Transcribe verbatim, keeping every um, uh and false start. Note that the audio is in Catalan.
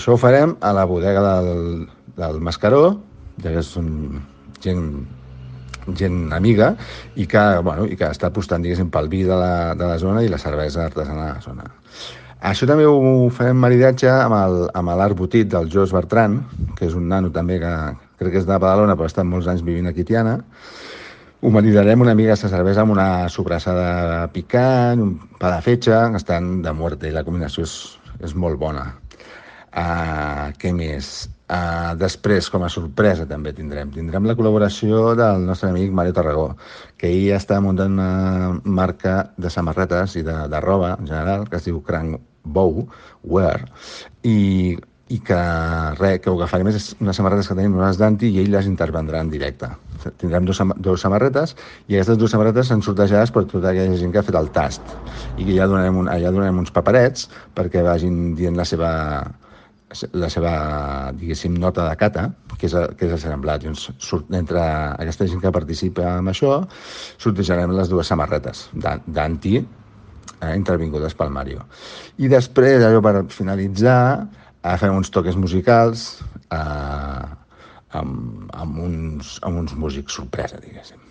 Això ho farem a la bodega del, del Mascaró, ja que és un, gent, gent amiga i que, bueno, i que està apostant, diguéssim, pel vi de la, de la zona i la cervesa artesana de la zona. Això també ho farem maridatge amb el, amb l'Art Botit del Jos Bertran, que és un nano també que crec que és de Badalona però ha estat molts anys vivint aquí a Tiana. Ho maridarem una mica aquesta cervesa amb una sobrassada picant, un pa de fetge, que estan de muerte i la combinació és, és molt bona. Uh, què més? Uh, després, com a sorpresa també tindrem tindrem la col·laboració del nostre amic Mario Tarragó, que ell està muntant una marca de samarretes i de, de roba en general, que es diu Crank Bow Wear, i, i que res, que el que farem és unes samarretes que tenim unes d'Anti i ell les intervendrà en directe. Tindrem dos, dos samarretes i aquestes dues samarretes són sortejades per tota aquella gent que ha fet el tast i que ja donarem, un, ja donarem uns paperets perquè vagin dient la seva la seva, diguéssim, nota de cata, que és, que és el semblat. Llavors, surt, entre aquesta gent que participa amb això, sortejarem les dues samarretes d'Anti, eh, intervingudes pel Mario. I després, allò per finalitzar, eh, fem uns toques musicals eh, amb, amb, uns, amb uns músics sorpresa, diguéssim.